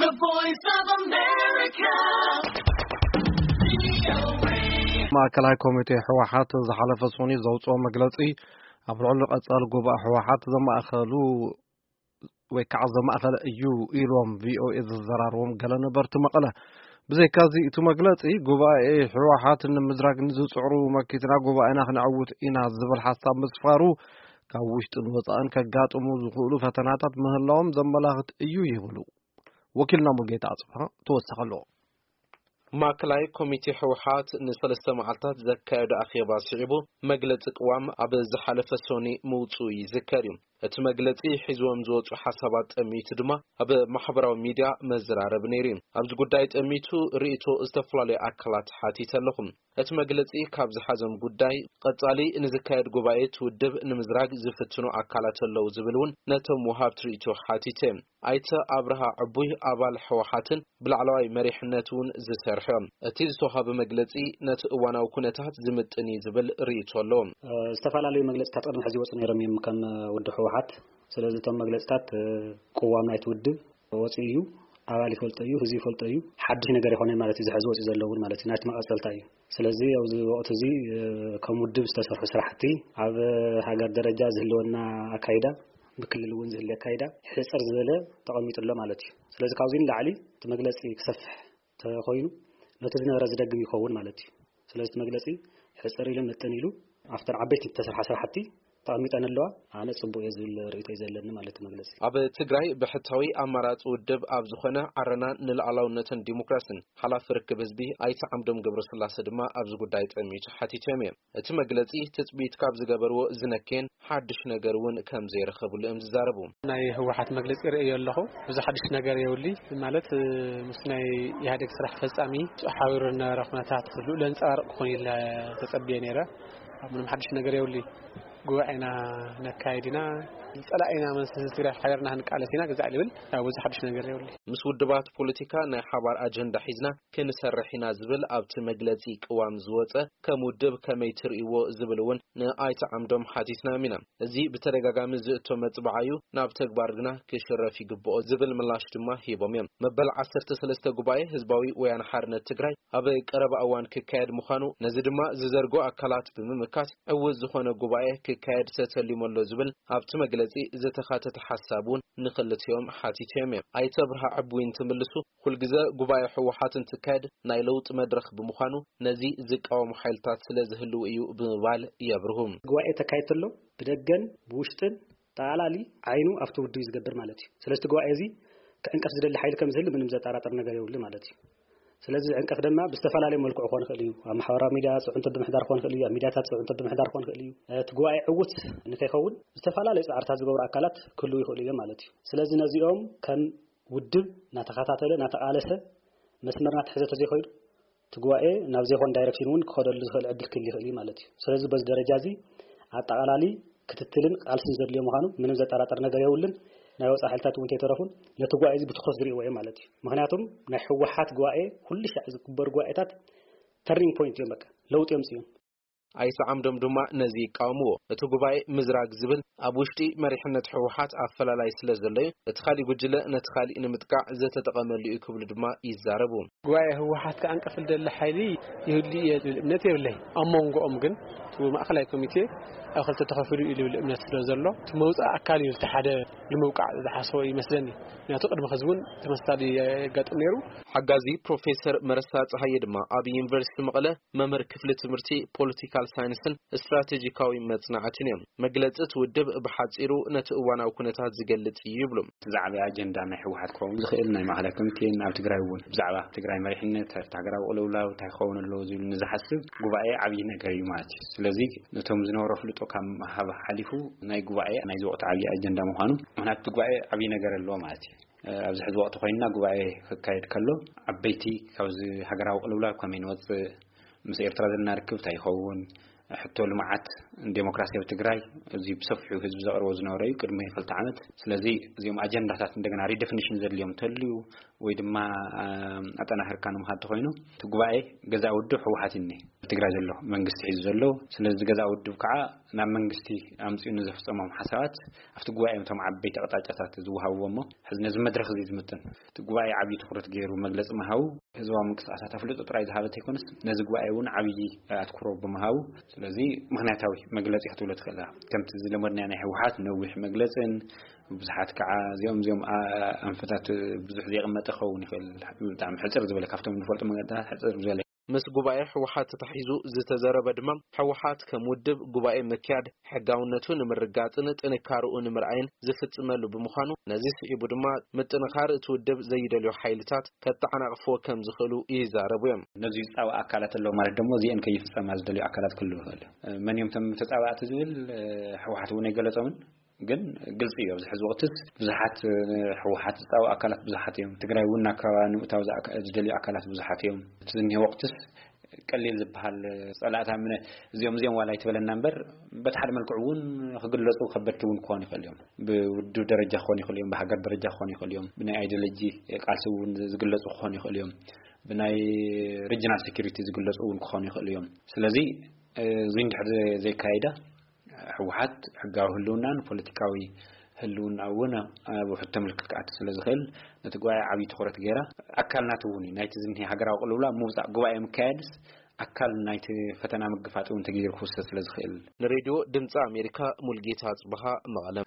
The Voice of America. ማእከላይ ኮሚቴ ህወሓት ዝሓለፈ ሶኒ ዘውፅኦ መግለፂ ኣብ ልዕሊ ቀፃሊ ጉባኤ ህወሓት ዘማእኸሉ ወይ ከዓ ዘማእኸለ እዩ ኢሎም ቪኦኤ ዝዘራረቦም ገለ ነበርቲ መቐለ። ብዘይካዚ እቲ መግለፂ ጉባኤ ህወሓት ንምዝራግ ንዝፅዕሩ መኪትና ጉባኤና ክነዕውት ኢና ዝብል ሓሳብ ምስፋሩ ካብ ውሽጥን ወፃእን ከጋጥሙ ዝኽእሉ ፈተናታት ምህላዎም ዘመላኽት እዩ ይብሉ። ወኪልና ሙልጌታ ኣጽብሃ ተወሰኸ ኣሎ። ማእከላይ ኮሚቴ ህወሓት ንሰለስተ መዓልታት ዘካየዶ ኣኼባ ስዒቡ መግለጺ ቅዋም ኣብ ዝሓለፈ ሶኒ ምውጽኡ ይዝከር እዩ። እቲ መግለጺ ሒዝዎም ዝወጹ ሓሳባት ጠሚቱ ድማ ኣብ ማሕበራዊ ሚድያ መዘራረቢ ነይሩ እዩ። ኣብዚ ጉዳይ ጠሚቱ ርእይቶ ዝተፈላለዩ ኣካላት ሓቲተ ኣለኹ። እቲ መግለጺ ካብ ዝሓዞም ጉዳይ ቀጻሊ ንዝካየድ ጉባኤ እቲ ውድብ ንምዝራግ ዝፍትኑ ኣካላት ኣለዉ ዝብል እውን ነቶም ወሃብቲ ርእይቶ ሓቲተ። ኣይተ ኣብርሃ ዕቡይ ኣባል ህወሓትን ብላዕለዋይ መሪሕነት እውን ዝሰርሑ እዮም። እቲ ዝተዋሃበ መግለጺ ነቲ እዋናዊ ኩነታት ዝምጥን እዩ ዝብል ርእይቶ ኣለዎም። ዝተፈላለዩ መግለጽታት ቅድሚ ሕዚ ይወፁ ነይሮም እዮም ከም ውድብ ህወሓት። ስለዚ እቶም መግለጽታት ቅዋም ናይቲ ውድብ ወፂኡ እዩ። ኣባል ይፈልጦ እዩ፣ ህዝቢ ይፈልጦ እዩ። ሓድሽ ነገር ይኾነ ማለት እዩ። ዝሕዚ ወፂኡ ዘለውን ማለት እዩ ናይቲ መቐጸልታ እዩ። ስለዚ ኣብዚ ወቕቲ እዚ ከም ውድብ ዝተሰርሑ ስራሕቲ ኣብ ሃገር ደረጃ ዝህልወና ኣካይዳ ብክልል እውን ዝህለ ኣካይዳ ሕፅር ዝበለ ተቐሚጡ ኣሎ ማለት እዩ። ስለዚ ካብዚ ንላዕሊ እቲ መግለፂ ክሰፍሕ ተኮይኑ ነቲ ዝነበረ ዝደግም ይኸውን ማለት እዩ። ስለዚ እቲ መግለፂ ሕፅር ኢሉ ምጥን ኢሉ ኣብተን ዓበይቲ ዝተሰርሓ ስራሕቲ ተቐሚጠን ኣለዋ። ኣነ ፅቡቅ እየ ዝብል ርእይቶ እዩ ዘለኒ ማለት መግለፂ። ኣብ ትግራይ ብሕታዊ ኣማራፂ ውድብ ኣብ ዝኾነ ዓረና ንልኣላውነትን ዲሞክራሲን ሓላፊ ርክብ ህዝቢ ኣይተ ዓምዶም ገብረስላሴ ድማ ኣብዚ ጉዳይ ጠሚቱ ሓቲቶም እዮም። እቲ መግለፂ ትፅቢት ካብ ዝገበርዎ ዝነከየን ሓድሽ ነገር እውን ከም ዘይረኸብሉ እዮም ዝዛረቡ። ናይ ህወሓት መግለፂ ርእዮ ኣለኹ። ብዙ ሓድሽ ነገር የውሊ ማለት ምስ ናይ ኢህኣዴግ ስራሕ ፈፃሚ ሓቢሩ ዝነበረ ኩነታት ልኡ ለንፀባርቕ ክኾን ኢለ ተፀብየ ነይረ። ኣብ ምንም ሓድሽ ነገር የውሊ። ጉባኤና ነካይድ ኢና፣ ዝፀላኢና መንስቲ ትግራይ ሓቢርና ክንቃለስ ኢና ግዛዕ ልብል ብዙ ሓድሽ ነገር የውሊ። ምስ ውድባት ፖለቲካ ናይ ሓባር ኣጀንዳ ሒዝና ክንሰርሕ ኢና ዝብል ኣብቲ መግለፂ ቅዋም ዝወፀ ከም ውድብ ከመይ ትርእይዎ ዝብል እውን ንኣይተ ዓምዶም ሓቲትናዮም ኢና። እዚ ብተደጋጋሚ ዝእቶ መፅባዓ እዩ፣ ናብ ተግባር ግና ክሽረፍ ይግብኦ ዝብል ምላሽ ድማ ሂቦም እዮም። መበል ዓሰርተ ሰለስተ ጉባኤ ህዝባዊ ወያነ ሓርነት ትግራይ ኣብ ቀረባ እዋን ክካየድ ምዃኑ፣ ነዚ ድማ ዝዘርጎ ኣካላት ብምምካት ዕውት ዝኾነ ጉባኤ ክካየድ ተተሊሙ ኣሎ ዝብል ኣብቲ መግለፂ ዝተኻተተ ሓሳብ እውን ንክልቲኦም ሓቲቶም እዮም። ኣይተ ብርሃ ዕቡይ እንትምልሱ፣ ኩልግዘ ጉባኤ ህወሓት እንትካየድ ናይ ለውጢ መድረኽ ብምዃኑ ነዚ ዝቃወሙ ሓይልታት ስለ ዝህልዉ እዩ ብምባል የብርሁ። ጉባኤ ተካይድ ተሎ ብደገን ብውሽጥን ጠቓላሊ ዓይኑ ኣብቲ ውድብ እዩ ዝገብር ማለት እዩ። ስለዚ እቲ ጉባኤ እዚ ክዕንቀፍ ዝደሊ ሓይሊ ከም ዝህሉ ምንም ዘጠራጥር ነገር የብሉ ማለት እዩ። ስለዚ ዝዕንቀፍ ድማ ብዝተፈላለየ መልክዑ ክኾን ይኽእል እዩ። ኣብ ማሕበራዊ ሚድያ ፅዕንቶ ብምሕዳር ክኾን ይኽእል እዩ። ኣብ ሚድያታት ፅዕንቶ ብምሕዳር ክኾን ይኽእል እዩ። እቲ ጉባኤ ዕውት ንከይኸውን ዝተፈላለዩ ፃዕርታት ዝገብሩ ኣካላት ክህልዉ ይኽእሉ እዮም ማለት እዩ። ስለዚ ነዚኦም ከም ውድብ እናተኸታተለ እናተቓለሰ መስመር እናተሐዘ ተዘይኮይኑ እቲ ጉባኤ ናብ ዘይኮን ዳይረክሽን እውን ክኸደሉ ዝኽእል ዕድል ክህል ይኽእል እዩ ማለት እዩ። ስለዚ በዚ ደረጃ እዚ ኣጠቓላሊ ክትትልን ቃልስን ዘድልዮ ምዃኑ ምንም ዘጠራጠር ነገር የብሉን። ናይ ወፃኢ ሓይልታት እውን ተይተረፉን ነቲ ጉባኤ እዚ ብትኹረት ዝርእይዎ እዮም ማለት እዩ። ምክንያቱም ናይ ህወሓት ጉባኤ ኩሉ ሻዕ ዝግበሩ ጉባኤታት ተርኒንግ ፖይንት እዮም፣ በቃ ለውጢ እዮም ፅዮም። ኣይተ ዓምዶም ድማ ነዚ ይቃወምዎ። እቲ ጉባኤ ምዝራግ ዝብል ኣብ ውሽጢ መሪሕነት ህወሓት ኣፈላላይ ስለ ዘሎ እዩ፣ እቲ ካሊእ ጉጅለ ነቲ ካሊእ ንምጥቃዕ ዝተጠቐመሉ እዩ ክብሉ ድማ ይዛረቡ። ጉባኤ ህወሓት ክዓንቀፍ ዝደሊ ሓይሊ ይህሉ እየ ዝብል እምነት የብለይ። ኣብ መንጎኦም ግን እቲ ማእኸላይ ኮሚቴ ኣብ ክልተ ተኸፊሉ እዩ ዝብል እምነት ስለ ዘሎ እቲ መውፃእ ኣካል እዩ እቲ ሓደ ንምውቃዕ ዝሓሰቦ ይመስለኒ። ምክንያቱ ቅድሚ ሕዚ እውን ተመሳሳሊ የጋጥም ነይሩ። ሓጋዚ ፕሮፌሰር መረሳ ፀሃየ ድማ ኣብ ዩኒቨርሲቲ መቐለ መምህር ክፍሊ ትምህርቲ ፖለቲካል ሳይንስን ስትራቴጂካዊ መፅናዕትን እዮም። መግለፂ እቲ ውድብ ብሓፂሩ ነቲ እዋናዊ ኩነታት ዝገልፅ እዩ ይብሉ። እቲ ዝዓበየ ኣጀንዳ ናይ ህወሓት ክኸውን ዝኽእል ናይ ማእኸላይ ኮሚቴን ኣብ ትግራይ እውን ብዛዕባ ትግራይ መሪሕነት፣ ሃገራዊ ቅልውላው እንታይ ክኸውን ኣለዎ ዝብል ንዝሓስብ ጉባኤ ዓብዪ ነገር እዩ ማለት እዩ። ስለዚ ነቶም ዝነበሮ ፍልጦ ካብ ምሃብ ሓሊፉ ናይ ጉባኤ ናይዚ ወቕቲ ዓብዪ ኣጀንዳ ምዃኑ፣ ምኽንያቱ እቲ ጉባኤ ዓብዪ ነገር ኣለዎ ማለት እዩ። ኣብዚ ሕዚ ወቕቲ ኮይንና ጉባኤ ክካየድ ከሎ ዓበይቲ ካብዚ ሃገራዊ ቅልውላው ከመይ ንወፅእ፣ ምስ ኤርትራ ዘለና ርክብ እንታይ ይኸውን፣ ሕቶ ልምዓት ዴሞክራሲ ኣብ ትግራይ እዚ ብሰፊሑ ህዝቢ ዘቕርቦ ዝነበረ እዩ ቅድሚ ክልተ ዓመት። ስለዚ እዚኦም ኣጀንዳታት እንደገና ሪደፊኒሽን ዘድልዮም እንተልዩ ወይ ድማ ኣጠናኽርካ ንምኻድ ተኮይኑ እቲ ጉባኤ ገዛ ውድብ ህወሓት እኒ ትግራይ ዘሎ መንግስቲ ሒዙ ዘሎ። ስለዚ ገዛ ውድብ ከዓ ናብ መንግስቲ ኣምፅኡ ንዘፍፀሞም ሓሳባት ኣብቲ ጉባኤ እቶም ዓበይቲ ኣቕጣጫታት ዝወሃብዎ እሞ ሕዚ ነዚ መድረክ እዚ ዝምጥን እቲ ጉባኤ ዓብዪ ትኩረት ገይሩ መግለፂ ምሃቡ ህዝባዊ ምንቅስቃሳት ኣፍልጦ ጥራይ ዝሃበ ተይኮነስ ነዚ ጉባኤ እውን ዓብዪ ኣትኩሮ ብምሃቡ ስለዚ ምክንያታዊ መግለፂ ክትብሎ ትኽእል ከምቲ ዝለመድናዮ ናይ ህወሓት ነዊሕ መግለፅን ብዙሓት ከዓ እዚኦም እዚኦም ኣንፈታት ብዙሕ ዘይቕመጠ ክኸውን ይኽእል። ብጣዕሚ ሕፅር ዝበለ ካብቶም ንፈልጦ መገዳት ሕፅር ዝበለ። ምስ ጉባኤ ህወሓት ተታሒዙ ዝተዘረበ ድማ ህወሓት ከም ውድብ ጉባኤ ምክያድ ሕጋውነቱ ንምርጋፅን ጥንካርኡ ንምርኣይን ዝፍፅመሉ ብምዃኑ ነዚ ስዒቡ ድማ ምጥንኻር እቲ ውድብ ዘይደልዮ ሓይልታት ከተዓናቕፍዎ ከም ዝኽእሉ ይዛረቡ እዮም። ነዚ ዝፃወ ኣካላት ኣለዉ ማለት ደግሞ እዚአን ከይፍፀማ ዝደልዩ ኣካላት ክህልዉ ይኽእል እዩ። መን እዮም ተም ተፃባእቲ ዝብል ህወሓት እውን ኣይገለፆምን። ግን ግልፂ እዩ ኣብዚ ሕዚ ወቅትስ ብዙሓት ህወሓት ዝፃወ ኣካላት ብዙሓት እዮም። ትግራይ እውን ናብ ከባቢ ንምእታው ዝደልዩ ኣካላት ብዙሓት እዮም። እቲ ዝኒሄ ወቅትስ ቀሊል ዝበሃል ፀላእታ ምነ እዚኦም እዚኦም ዋላ ኣይትበለና እምበር በቲ ሓደ መልክዕ እውን ክግለፁ ከበድቲ እውን ክኾኑ ይኽእል እዮም። ብውድብ ደረጃ ክኾኑ ይኽእል እዮም፣ ብሃገር ደረጃ ክኾኑ ይኽእል እዮም፣ ብናይ ኣይዲዮሎጂ ቃልሲ እውን ዝግለፁ ክኾኑ ይኽእል እዮም፣ ብናይ ሪጅናል ሴኪሪቲ ዝግለፁ እውን ክኾኑ ይኽእል እዮም። ስለዚ እዚ እንድሕር ዘይካየዳ ህወሓት ሕጋዊ ህልውናን ፖለቲካዊ ህልውና እውን ኣብ ውሕድ ተምልክት ክኣቲ ስለ ዝኽእል ነቲ ጉባኤ ዓብዪ ትኹረት ገይራ ኣካል ናቱ እውን እዩ ናይቲ ዝኒሄ ሃገራዊ ቅልውላ ምውፃእ ጉባኤ ምካየድስ ኣካል ናይቲ ፈተና ምግፋጥ እውን ተገይሩ ክውሰድ ስለ ዝኽእል። ንሬድዮ ድምፂ ኣሜሪካ ሙልጌታ ኣፅበሃ መቐለ።